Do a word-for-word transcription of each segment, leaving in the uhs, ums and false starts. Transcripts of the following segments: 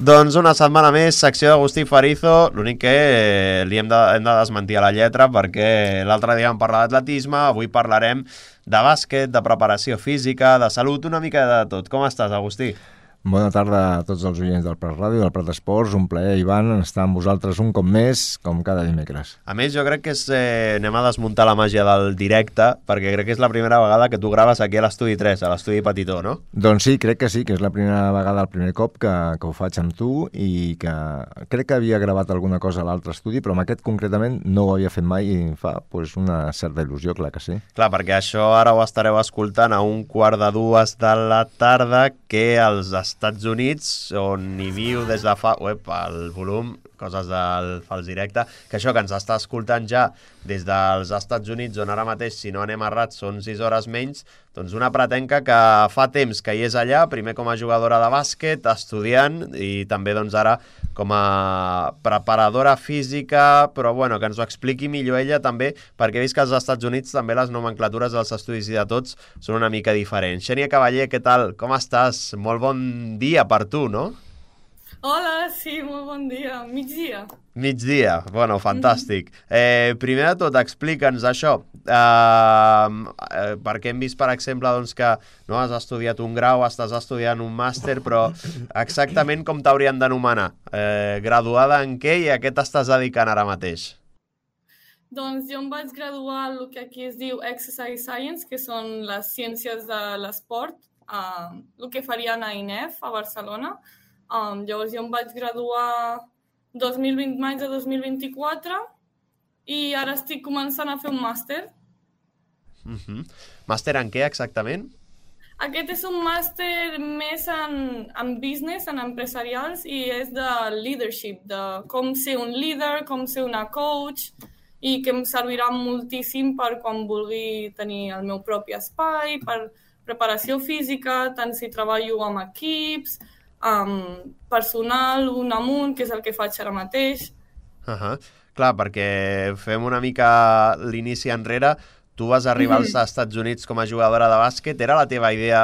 Doncs una setmana més, secció d'Agustí Farizo, l'únic que eh, li hem de, hem de desmentir a la lletra perquè l'altre dia vam parlar d'atletisme, avui parlarem de bàsquet, de preparació física, de salut, una mica de tot. Com estàs, Agustí? Bona tarda a tots els oients del Prat Ràdio, del Prat Esports. Un plaer, Ivan, estar amb vosaltres un cop més, com cada dimecres. A més, jo crec que és, eh, anem a desmuntar la màgia del directe, perquè crec que és la primera vegada que tu graves aquí a l'Estudi tres, a l'Estudi Petitó, no? Doncs sí, crec que sí, que és la primera vegada, el primer cop que, que ho faig amb tu, i que crec que havia gravat alguna cosa a l'altre estudi, però amb aquest concretament no ho havia fet mai i em fa pues, una certa il·lusió, clar que sí. Clar, perquè això ara ho estareu escoltant a un quart de dues de la tarda, que als Estats Units, on hi viu des de fa... Uep, el volum, coses del fals directe, que això que ens està escoltant ja des dels Estats Units, on ara mateix, si no anem errats, són sis hores menys, doncs una pretenca que fa temps que hi és allà, primer com a jugadora de bàsquet, estudiant, i també doncs ara com a preparadora física, però bueno, que ens ho expliqui millor ella també, perquè he vist que als Estats Units també les nomenclatures dels estudis i de tots són una mica diferents. Xènia Cavaller, què tal? Com estàs? Molt bon dia per tu, no? Hola, sí, molt bon dia. Migdia. Migdia, bueno, fantàstic. Eh, primer de tot, explica'ns això, eh, eh, perquè hem vist, per exemple, doncs, que no has estudiat un grau, estàs estudiant un màster, però exactament com t'haurien d'anomenar? Eh, graduada en què i a què t'estàs dedicant ara mateix? Doncs jo em vaig graduar el que aquí es diu Exercise Science, que són les ciències de l'esport, eh, el que farien a I N E F, a Barcelona. Um, llavors jo em vaig graduar dos mil vint, maig de dos mil vint-i-quatre i ara estic començant a fer un màster. Uh-huh. Màster en què exactament? Aquest és un màster més en, en business, en empresarials, i és de leadership, de com ser un líder, com ser una coach, i que em servirà moltíssim per quan vulgui tenir el meu propi espai, per preparació física, tant si treballo amb equips, Um, personal, un amunt, que és el que faig ara mateix. Uh-huh. Clar, perquè fem una mica l'inici enrere. Tu vas arribar als Estats Units com a jugadora de bàsquet. Era la teva idea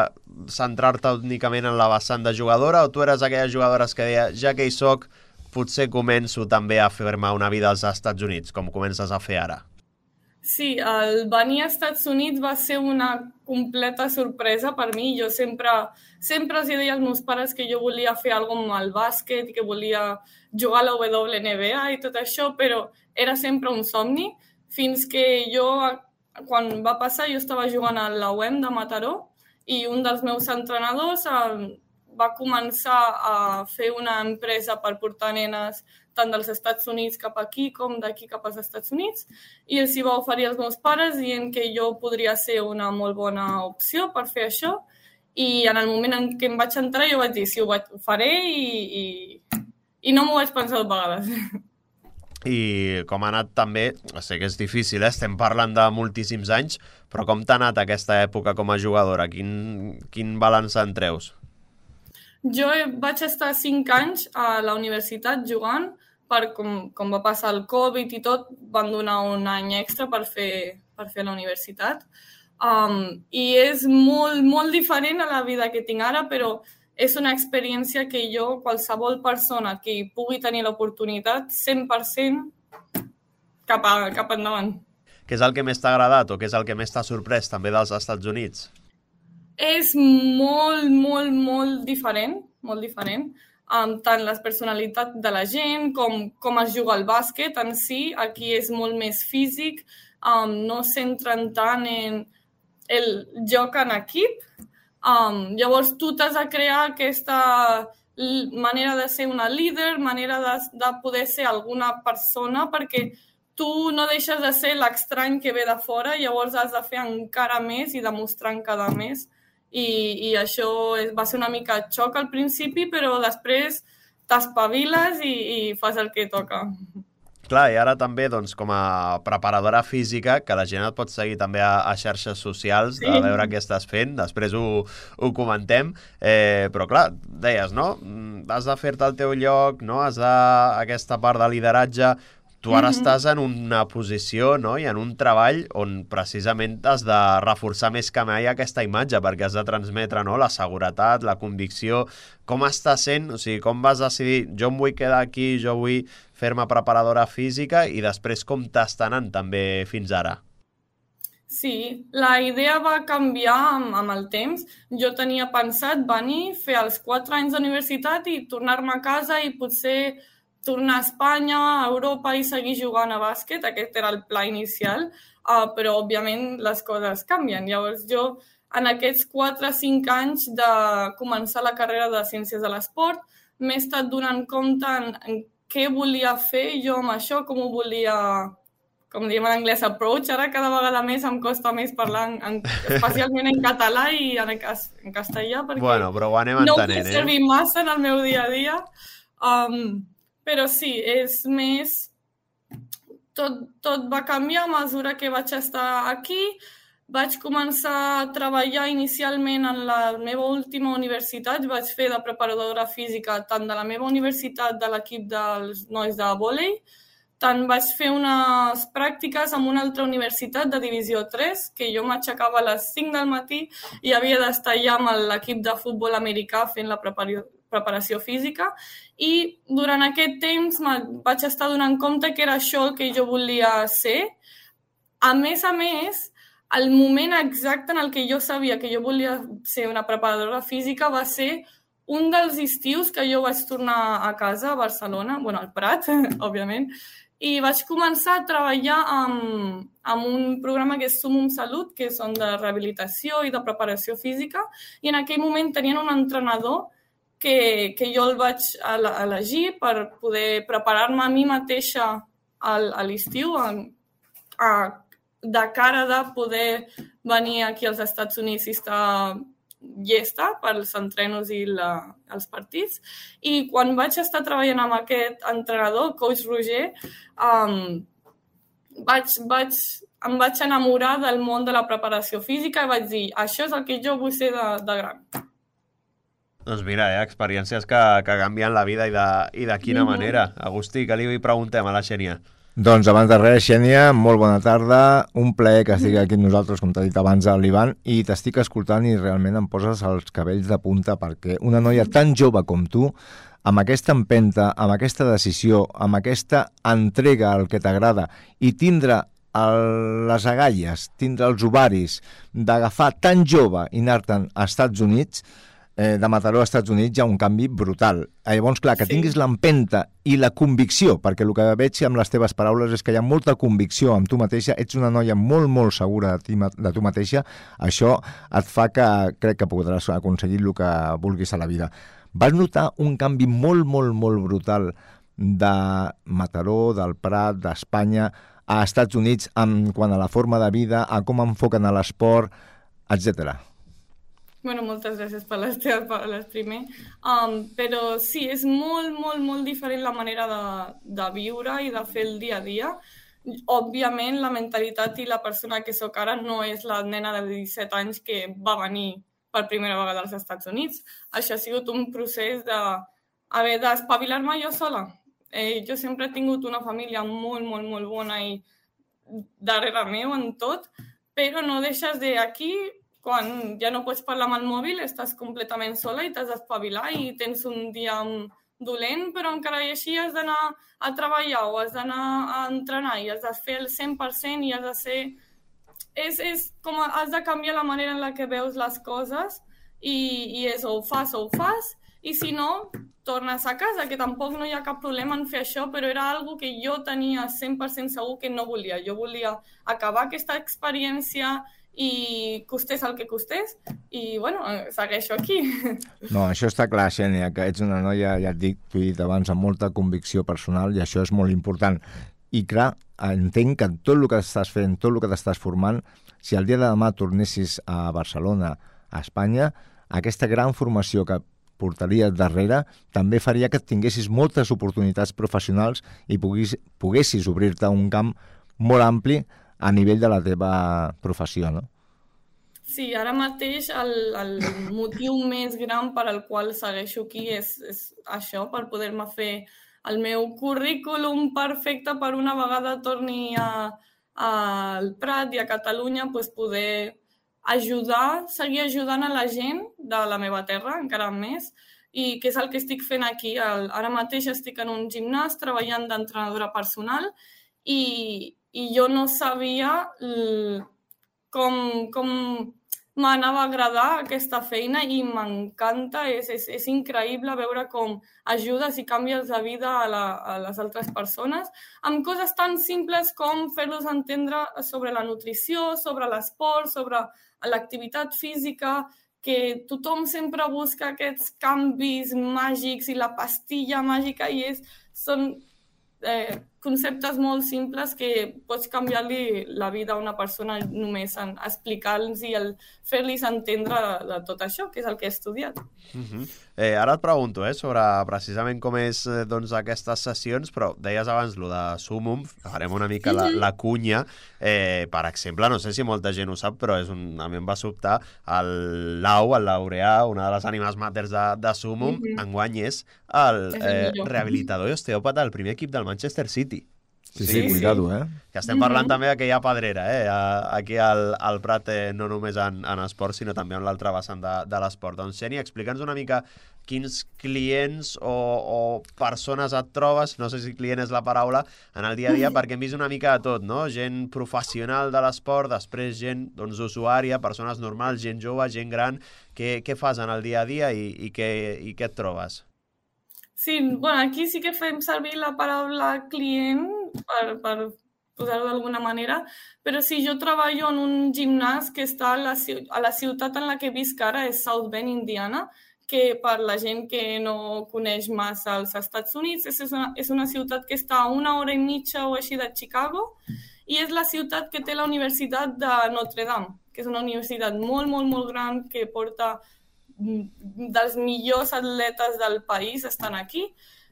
centrar-te únicament en la vessant de jugadora, o tu eres aquelles jugadores que deia, ja que hi soc, potser començo també a fer-me una vida als Estats Units, com comences a fer ara? Sí, el venir als Estats Units va ser una completa sorpresa per mi. Jo sempre, sempre els deia als meus pares que jo volia fer alguna cosa amb el bàsquet i que volia jugar a la W N B A i tot això, però era sempre un somni, fins que jo, quan va passar, jo estava jugant a la U E M de Mataró i un dels meus entrenadors va començar a fer una empresa per portar nenes tant dels Estats Units cap aquí com d'aquí cap als Estats Units, i els hi va oferir als meus pares dient que jo podria ser una molt bona opció per fer això, i en el moment en què em vaig entrar jo vaig dir sí, ho, vaig, ho faré i, i, i no m'ho vaig pensar dues vegades. I com ha anat també, sé que és difícil, eh? Estem parlant de moltíssims anys, però com t'ha anat aquesta època com a jugadora? Quin, quin balanç en treus? Jo vaig estar cinc anys a la universitat jugant, per com, com va passar el Covid i tot, van donar un any extra per fer, per fer la universitat. Um, I és molt, molt diferent a la vida que tinc ara, però és una experiència que jo, qualsevol persona que pugui tenir l'oportunitat, cent per cent cap, a, cap endavant. Què és el que més t'ha agradat o què és el que més t'ha sorprès també dels Estats Units? És molt, molt, molt diferent, molt diferent. Um, tant la personalitat de la gent com com es juga al bàsquet en si. Aquí és molt més físic, um, no centren tant en el joc en equip. Um, llavors tu t'has de crear aquesta manera de ser una líder, manera de, de poder ser alguna persona, perquè tu no deixes de ser l'estrany que ve de fora, llavors has de fer encara més i demostrar encara més. I, i això va ser una mica xoc al principi, però després t'espaviles i, i fas el que toca. Clar, i ara també, doncs, com a preparadora física, que la gent et pot seguir també a, a xarxes socials, sí, a veure què estàs fent, després ho, ho comentem, eh, però clar, deies, no? Has de fer-te el teu lloc, no? Has de... aquesta part de lideratge, tu ara mm-hmm. estàs en una posició, no?, i en un treball on precisament has de reforçar més que mai aquesta imatge, perquè has de transmetre, no?, la seguretat, la convicció. Com està sent? O sigui, com vas decidir, jo em vull quedar aquí, jo vull fer-me preparadora física, i després com t'està anant també fins ara? Sí, la idea va canviar amb, amb el temps. Jo tenia pensat venir, fer els quatre anys d'universitat i tornar-me a casa i potser tornar a Espanya, a Europa i seguir jugant a bàsquet. Aquest era el pla inicial, uh, però òbviament les coses canvien. Llavors jo, en aquests quatre o cinc anys de començar la carrera de Ciències de l'Esport, m'he estat donant compte en, en què volia fer jo amb això, com ho volia... com diem en anglès, approach. Ara cada vegada més em costa més parlar, en, en, especialment en català i en, en castellà, perquè bueno, però ho anem no entenent, ho puc servir eh? massa en el meu dia a dia. Um, però sí, és més... Tot, tot va canviar a mesura que vaig estar aquí. Vaig començar a treballar inicialment en la meva última universitat. Vaig fer de preparadora física tant de la meva universitat, de l'equip dels nois de vòlei, tant vaig fer unes pràctiques en una altra universitat de divisió tres, que jo m'aixecava a les cinc del matí i havia d'estar allà amb l'equip de futbol americà fent la preparació física. I durant aquest temps vaig estar donant compte que era això el que jo volia ser. A més a més, el moment exacte en el que jo sabia que jo volia ser una preparadora física va ser un dels estius que jo vaig tornar a casa, a Barcelona, bueno, al Prat, òbviament, i vaig començar a treballar amb, amb un programa que és Sumum Salut, que són de rehabilitació i de preparació física, i en aquell moment tenien un entrenador que, que jo el vaig elegir per poder preparar-me a mi mateixa al, a l'estiu, a, a, de cara de poder venir aquí als Estats Units i estar llesta pels entrenos i la, els partits. I quan vaig estar treballant amb aquest entrenador, coach Roger, um, vaig, vaig, em vaig enamorar del món de la preparació física i vaig dir, això és el que jo vull ser de, de gran. Doncs mira, eh, experiències que, que canvien la vida i de, i de quina mm-hmm. manera. Agustí, què li preguntem a la Xènia? Doncs abans de res, Xènia, molt bona tarda. Un plaer que estigui aquí amb nosaltres, com t'ha dit abans l'Ivan, i t'estic escoltant i realment em poses els cabells de punta perquè una noia tan jove com tu, amb aquesta empenta, amb aquesta decisió, amb aquesta entrega al que t'agrada i tindre el, les agalles, tindre els ovaris d'agafar tan jove i anar-te'n als Estats Units, eh, de Mataró als Estats Units, hi ha un canvi brutal. Eh, llavors, clar, que sí. tinguis l'empenta i la convicció, perquè el que veig amb les teves paraules és que hi ha molta convicció amb tu mateixa, ets una noia molt, molt segura de, ti, de tu mateixa, això et fa que crec que podràs aconseguir el que vulguis a la vida. Vas notar un canvi molt, molt, molt brutal de Mataró, del Prat, d'Espanya, a Estats Units, en quant a la forma de vida, a com enfoquen a l'esport, etcètera. Bueno, moltes gràcies per les teves paraules primer. Um, però sí, és molt, molt, molt diferent la manera de, de viure i de fer el dia a dia. Òbviament, la mentalitat i la persona que sóc ara no és la nena de disset anys que va venir per primera vegada als Estats Units. Això ha sigut un procés d'haver d'espavilar-me jo sola. Eh, jo sempre he tingut una família molt, molt, molt bona i darrere meu en tot, però no deixes de aquí, quan ja no pots parlar amb el mòbil, estàs completament sola i t'has d'espavilar i tens un dia dolent, però encara i així has d'anar a treballar o has d'anar a entrenar i has de fer el cent per cent i has de ser... És, és com has de canviar la manera en la que veus les coses i, i és o ho fas o ho fas i si no, tornes a casa, que tampoc no hi ha cap problema en fer això, però era algo que jo tenia cent per cent segur que no volia. Jo volia acabar aquesta experiència i costés el que costés, i, bueno, segueixo aquí. No, això està clar, Xènia, que ets una noia, ja et dic, t'ho he dit abans, amb molta convicció personal, i això és molt important. I, clar, entenc que tot el que estàs fent, tot el que t'estàs formant, si el dia de demà tornessis a Barcelona, a Espanya, aquesta gran formació que portaries darrere també faria que tinguessis moltes oportunitats professionals i poguis, poguessis obrir-te un camp molt ampli a nivell de la teva professió, no? Sí, ara mateix el, el motiu més gran per al qual segueixo aquí és, és això, per poder-me fer el meu currículum perfecte per una vegada torni a, al Prat i a Catalunya pues, poder ajudar, seguir ajudant a la gent de la meva terra, encara més, i que és el que estic fent aquí. Ara mateix estic en un gimnàs treballant d'entrenadora personal i, i jo no sabia com, com m'anava a agradar aquesta feina i m'encanta, és, és, és increïble veure com ajudes i canvies de vida a, la, a les altres persones amb coses tan simples com fer-los entendre sobre la nutrició, sobre l'esport, sobre l'activitat física, que tothom sempre busca aquests canvis màgics i la pastilla màgica i és, són eh, conceptes molt simples que pots canviar-li la vida a una persona només en explicar-los i el fer-los entendre de, de tot això, que és el que he estudiat. Uh-huh. eh, ara et pregunto eh, sobre precisament com és eh, doncs, aquestes sessions, però deies abans lo de Sumum, farem una mica la, la cunya. Eh, per exemple, no sé si molta gent ho sap, però és un, a mi em va sobtar el Lau, el Laureà, una de les ànimes maters de, de Sumum, uh-huh. enguany és el, és el eh, rehabilitador i osteòpata del primer equip del Manchester City. Sí, sí, sí, cuidado, eh? Que estem parlant mm-hmm. també que hi ha pedrera, eh? Aquí al, al Prat, eh, no només en, en esport, sinó també en l'altre vessant de, de l'esport. Doncs, Xènia, explica'ns una mica quins clients o, o persones et trobes, no sé si client és la paraula, en el dia a dia, perquè hem vist una mica de tot, no? Gent professional de l'esport, després gent doncs, usuària, persones normals, gent jove, gent gran. Què, què fas en el dia a dia i, i, què, i què et trobes? Sí, bueno, aquí sí que fem servir la paraula client per, per posar-ho d'alguna manera, però sí, jo treballo en un gimnàs que està a la, a la ciutat en la que visc ara, és South Bend, Indiana, que per la gent que no coneix massa els Estats Units, és una, és una ciutat que està a una hora i mitja o així de Chicago, i és la ciutat que té la Universitat de Notre Dame, que és una universitat molt, molt, molt gran que porta dels millors atletes del país estan aquí.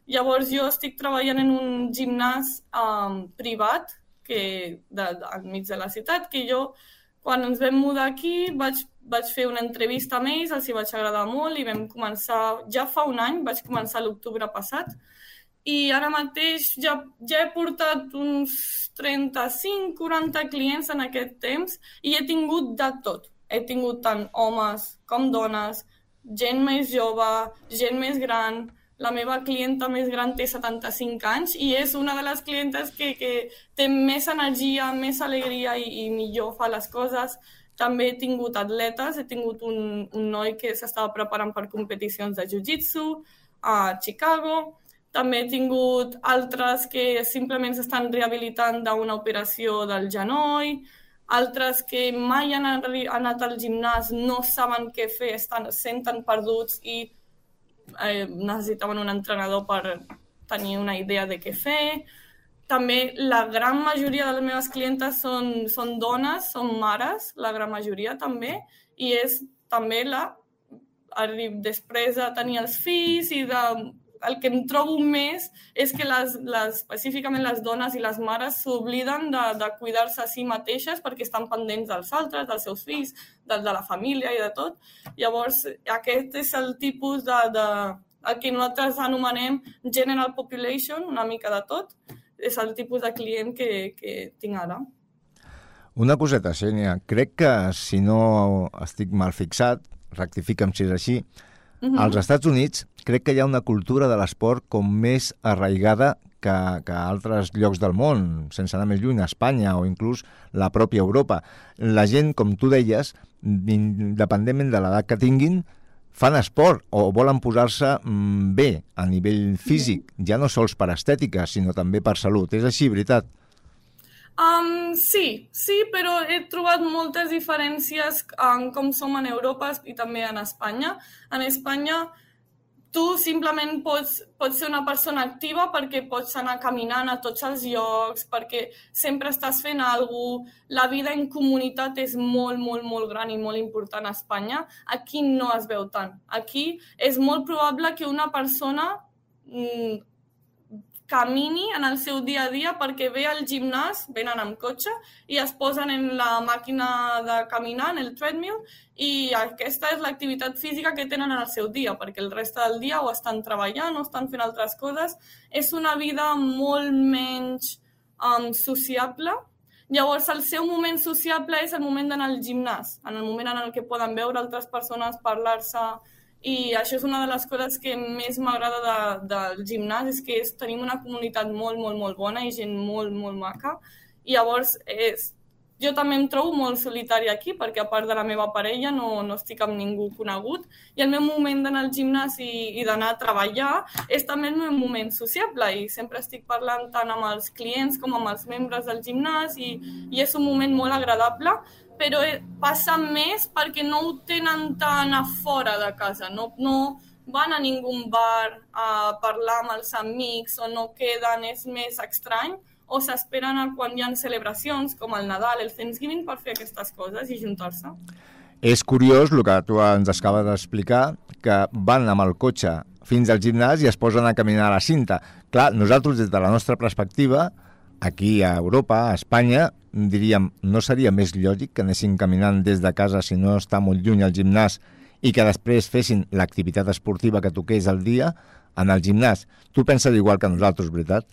Llavors jo estic treballant en un gimnàs um, privat que, de, de, enmig de la ciutat, que jo quan ens vam mudar aquí vaig, vaig fer una entrevista amb ells, els hi vaig agradar molt i vam començar, ja fa un any, vaig començar l'octubre passat i ara mateix ja, ja he portat uns trenta-cinc quaranta clients en aquest temps i he tingut de tot. He tingut tant homes com dones, gent més jove, gent més gran. La meva clienta més gran té setanta-cinc anys i és una de les clientes que, que té més energia, més alegria i, i millor fa les coses. També he tingut atletes, he tingut un, un noi que s'estava preparant per competicions de jiu-jitsu a Chicago. També he tingut altres que simplement s'estan rehabilitant d'una operació del genoll, altres que mai han anat al gimnàs, no saben què fer, estan, senten perduts i eh, necessitaven un entrenador per tenir una idea de què fer. També la gran majoria de les meves clientes són, són dones, són mares, la gran majoria també, i és també la, després de tenir els fills i de... El que em trobo més és que les, les, específicament les dones i les mares s'obliden de, de cuidar-se a si mateixes perquè estan pendents dels altres, dels seus fills, de, de la família i de tot. Llavors, aquest és el tipus de, de el que nosaltres anomenem general population, una mica de tot. És el tipus de client que, que tinc ara. Una coseta, Xènia. Crec que, si no estic mal fixat, rectifica'm si és així, uh-huh. Als Estats Units crec que hi ha una cultura de l'esport com més arraigada que, que a altres llocs del món, sense anar més lluny, a Espanya o inclús la pròpia Europa. La gent, com tu deies, independentment de l'edat que tinguin, fan esport o volen posar-se bé a nivell físic, ja no sols per estètica, sinó també per salut. És així, veritat? Um, sí, sí, però he trobat moltes diferències en com som en Europa i també en Espanya. En Espanya tu simplement pots, pots ser una persona activa perquè pots anar caminant a tots els llocs, perquè sempre estàs fent alguna cosa. La vida en comunitat és molt, molt, molt gran i molt important a Espanya. Aquí no es veu tant. Aquí és molt probable que una persona mmm, camini en el seu dia a dia perquè ve al gimnàs, venen amb cotxe i es posen en la màquina de caminar, en el treadmill, i aquesta és l'activitat física que tenen en el seu dia, perquè el reste del dia o estan treballant o estan fent altres coses. És una vida molt menys um, sociable. Llavors, el seu moment sociable és el moment d'anar al gimnàs, en el moment en el que poden veure altres persones, parlar-se. I això és una de les coses que més m'agrada de, del gimnàs, és que és, tenim una comunitat molt, molt, molt bona i gent molt, molt maca. I llavors és, jo també em trobo molt solitària aquí, perquè a part de la meva parella no, no estic amb ningú conegut. I el meu moment d'anar al gimnàs i, i d'anar a treballar és també el meu moment sociable. I sempre estic parlant tant amb els clients com amb els membres del gimnàs i, i és un moment molt agradable. Però passa més perquè no ho tenen tan a fora de casa, no, no van a ningun bar a parlar amb els amics o no queden, és més estrany, o s'esperen a quan hi ha celebracions com el Nadal, el Thanksgiving, per fer aquestes coses i juntar-se. És curiós el que tu ens acabes d'explicar, que van amb el cotxe fins al gimnàs i es posen a caminar a la cinta. Clar, nosaltres, des de la nostra perspectiva, aquí a Europa, a Espanya, diríem, no seria més lògic que anessin caminant des de casa si no està molt lluny al gimnàs i que després fessin l'activitat esportiva que toqués al dia en el gimnàs. Tu penses igual que nosaltres, veritat?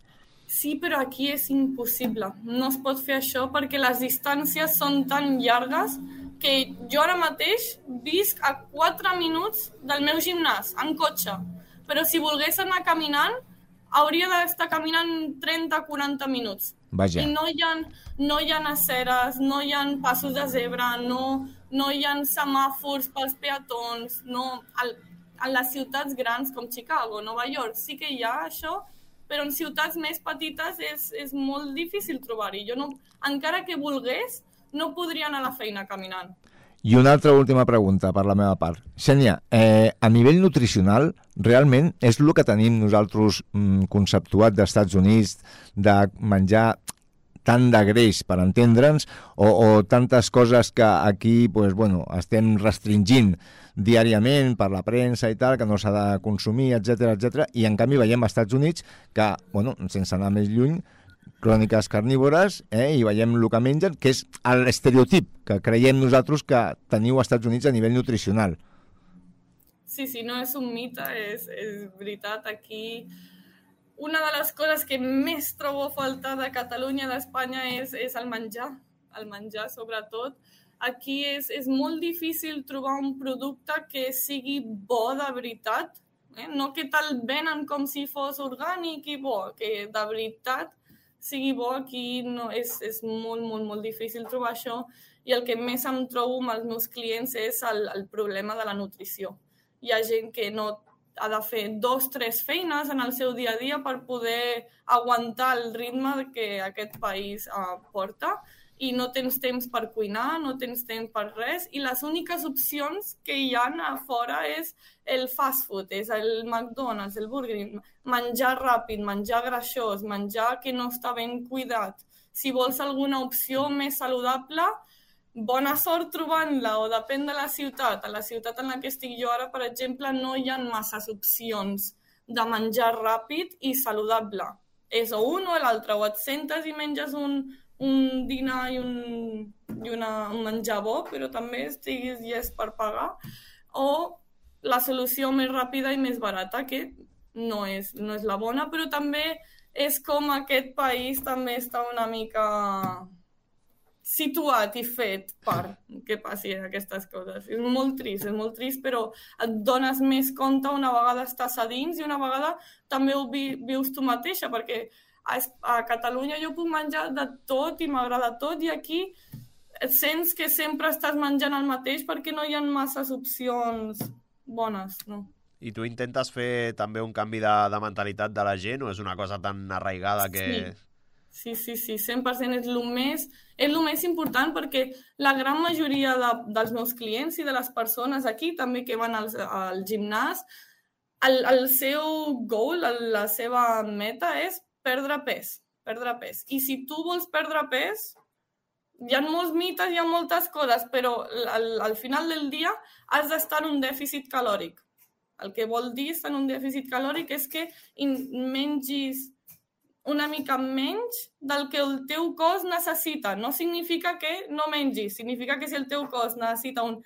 Sí, però aquí és impossible. No es pot fer això perquè les distàncies són tan llargues que jo ara mateix visc a quatre minuts del meu gimnàs, en cotxe. Però si volgués anar caminant, hauria d'estar caminant trenta a quaranta minuts. Vaja. I no hi ha, no hi ha aceres, no hi ha passos de zebra, no, no hi ha semàfors pels peatons. No. Al, a les ciutats grans com Chicago, Nova York, sí que hi ha això, però en ciutats més petites és, és molt difícil trobar-hi. Jo no, encara que volgués, no podria anar a la feina caminant. I una altra última pregunta per la meva part. Xènia, eh, a nivell nutricional, realment és el que tenim nosaltres mm, conceptuat dels Estats Units, de menjar tant de greix, per entendre'ns, o, o tantes coses que aquí pues, bueno, estem restringint diàriament per la premsa i tal, que no s'ha de consumir, etcètera, etcètera, i en canvi veiem als Estats Units que, bueno, sense anar més lluny, cròniques carnívores, eh, i veiem el que mengen, que és l'estereotip que creiem nosaltres que teniu als Estats Units a nivell nutricional. Sí, sí, no és un mite, és, és veritat. Aquí una de les coses que més trobo a faltar de Catalunya i d'Espanya és, és el menjar, el menjar sobretot. Aquí és, és molt difícil trobar un producte que sigui bo de veritat, eh? No que te'l venen com si fos orgànic i bo, que de veritat sigui bo. Aquí no, és, és molt, molt, molt difícil trobar això, i el que més em trobo amb els meus clients és el, el problema de la nutrició. Hi ha gent que no ha de fer dos, tres feines en el seu dia a dia per poder aguantar el ritme que aquest país uh, porta, i no tens temps per cuinar, no tens temps per res, i les úniques opcions que hi ha a fora és el fast food, és el McDonald's, el Burger King, menjar ràpid, menjar greixós, menjar que no està ben cuidat. Si vols alguna opció més saludable, bona sort trobant-la, o depèn de la ciutat. A la ciutat en la que estic jo ara, per exemple, no hi ha masses opcions de menjar ràpid i saludable. És o un o l'altre, o et sentes i menges un, un dinar i, un, i una, un menjar bo, però també estiguis llest per pagar, o la solució més ràpida i més barata, que no és, no és la bona, però també és com aquest país també està una mica situat i fet per que passi aquestes coses. És molt trist, és molt trist, però et dones més compte una vegada estàs a dins i una vegada també ho vi, vius tu mateixa, perquè a, a Catalunya jo puc menjar de tot i m'agrada tot, i aquí et sents que sempre estàs menjant el mateix perquè no hi ha masses opcions bones, no? I tu intentes fer també un canvi de, de mentalitat de la gent, o és una cosa tan arraigada que... Sí. Sí, sí, sí, cent per cent és el més, és el més important, perquè la gran majoria de, dels meus clients i de les persones aquí també que van al, al gimnàs, el, el seu goal, la seva meta és perdre pes, perdre pes. I si tu vols perdre pes, hi ha molts mites, hi ha moltes coses, però al, al final del dia has d'estar en un dèficit calòric. El que vol dir estar en un dèficit calòric és que mengis una mica menys del que el teu cos necessita. No significa que no mengis, significa que si el teu cos necessita un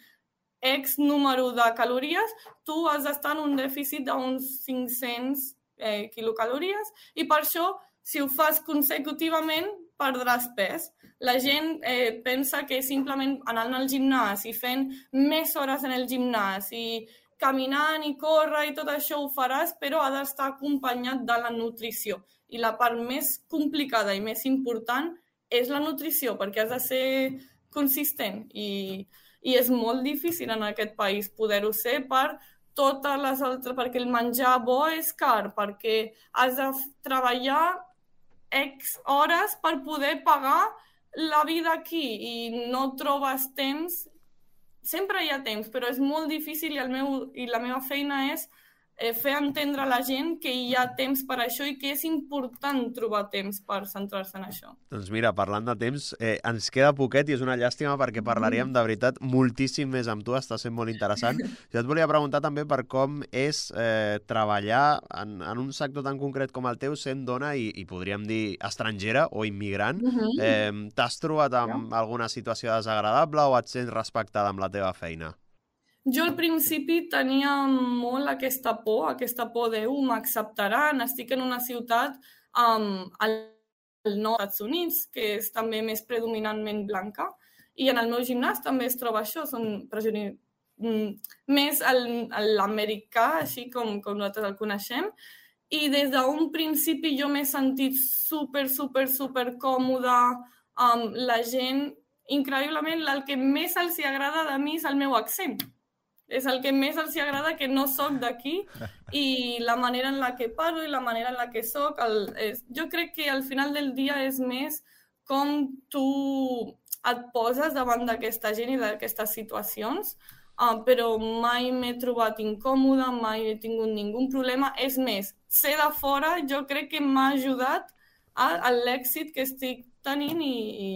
X número de calories, tu has d'estar en un dèficit d'uns cinc-cents eh, quilocalories i per això, si ho fas consecutivament, perdràs pes. La gent eh, pensa que simplement anant al gimnàs i fent més hores en el gimnàs i caminant i córrer i tot això ho faràs, però ha d'estar acompanyat de la nutrició. I la part més complicada i més important és la nutrició, perquè has de ser consistent i, i és molt difícil en aquest país poder-ho ser per totes les altres, perquè el menjar bo és car, perquè has de treballar X hores per poder pagar la vida aquí i no trobes temps. Sempre hi ha temps, però és molt difícil i, el meu, i la meva feina és eh, fer entendre a la gent que hi ha temps per això i que és important trobar temps per centrar-se en això. Doncs mira, parlant de temps, eh, ens queda poquet i és una llàstima perquè parlaríem de veritat moltíssim més amb tu, està sent molt interessant. Jo et volia preguntar també per com és eh, treballar en, en un sector tan concret com el teu sent dona i, i podríem dir estrangera o immigrant. Uh-huh. eh, T'has trobat amb alguna situació desagradable o et sents respectada amb la teva feina? Jo al principi tenia molt aquesta por, aquesta por de uh, m'acceptaran, estic en una ciutat um, al nord dels Estats Units, que és també més predominantment blanca, i en el meu gimnàs també es troba això, són presoners, mm, més l'americà, així com, com nosaltres el coneixem, i des d'un principi jo m'he sentit super, super, super còmoda amb um, la gent, increïblement, el que més els agrada de mi és el meu accent. És el que més els agrada, que no soc d'aquí i la manera en la que parlo i la manera en la que soc. El, és, jo crec que al final del dia és més com tu et poses davant d'aquesta gent i d'aquestes situacions, uh, però mai m'he trobat incòmoda, mai he tingut ningú problema. És més, ser de fora jo crec que m'ha ajudat a, a l'èxit que estic tenint i, i,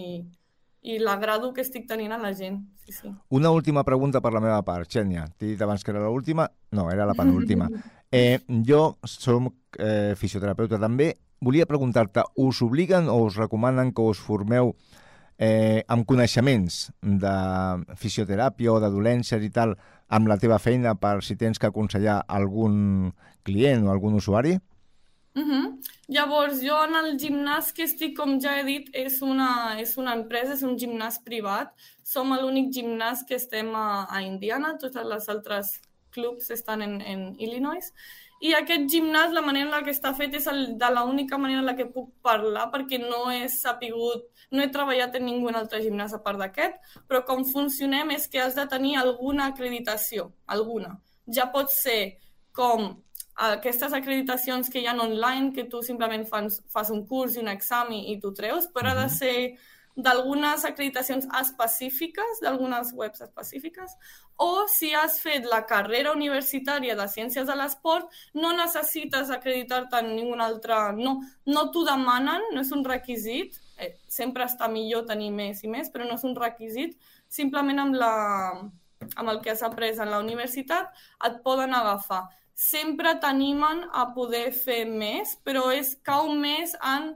i l'agrado que estic tenint a la gent. Sí, sí. Una última pregunta per la meva part, Xènia. T'he dit abans que era l'última? No, era la penúltima. Eh, jo som eh, fisioterapeuta també. Volia preguntar-te, us obliguen o us recomanen que us formeu eh, amb coneixements de fisioteràpia o de dolències i tal amb la teva feina per si tens que aconsellar algun client o algun usuari? Uh-huh. Llavors, jo en el gimnàs que estic, com ja he dit, és una, és una empresa, és un gimnàs privat. Som l'únic gimnàs que estem a, a Indiana, totes les altres clubs estan en, en Illinois. I aquest gimnàs, la manera en la que està fet és el, de l'única manera en la que puc parlar, perquè no he sapigut, no he treballat en ningú altre gimnàs a part d'aquest, però com funcionem és que has de tenir alguna acreditació, alguna. Ja pot ser com aquestes acreditacions que hi ha online, que tu simplement fas, fas un curs i un examen i tu treus, però ha de ser d'algunes acreditacions específiques, d'algunes webs específiques, o si has fet la carrera universitària de Ciències de l'Esport, no necessites acreditar-te en ningú altre, no, no t'ho demanen, no és un requisit, eh, sempre està millor tenir més i més, però no és un requisit, simplement amb, la, amb el que has après en la universitat et poden agafar. Sempre t'animen a poder fer més, però és cau més en,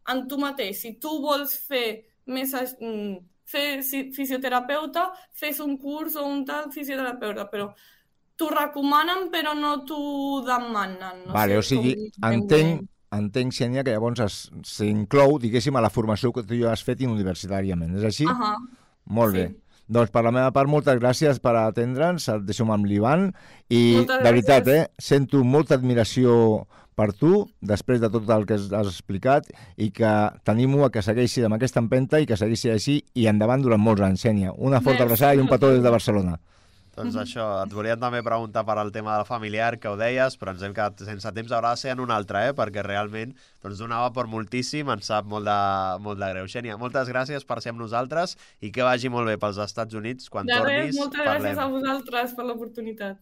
en tu mateix. Si tu vols fer més fer fisioterapeuta, fes un curs o un tal fisioterapeuta, però t'ho recomanen però no t'ho demanen. No vale, sé, o sigui, entenc, entenc, Xènia, que llavors s'inclou, diguéssim, a la formació que tu ja has fet universitàriament. És així? Ahà. Molt sí. Bé. Doncs per la meva part, moltes gràcies per atendre'ns, et deixo amb l'Ivan, i moltes de veritat, eh, sento molta admiració per tu, després de tot el que has explicat, i que t'animo a que segueixis amb aquesta empenta i que segueixis així i endavant durant molts anys, Xènia. Una forta abraçada i un petó des de Barcelona. Doncs això, et volíem també preguntar per al tema del familiar, que ho deies, però ens hem quedat sense temps, haurà de ser en un altre, eh? Perquè realment doncs, donava per moltíssim, ens sap molt de, molt de greu. Xènia, moltes gràcies per ser amb nosaltres i que vagi molt bé pels Estats Units. Quan de tornis, res, moltes parlem. Gràcies a vosaltres per l'oportunitat.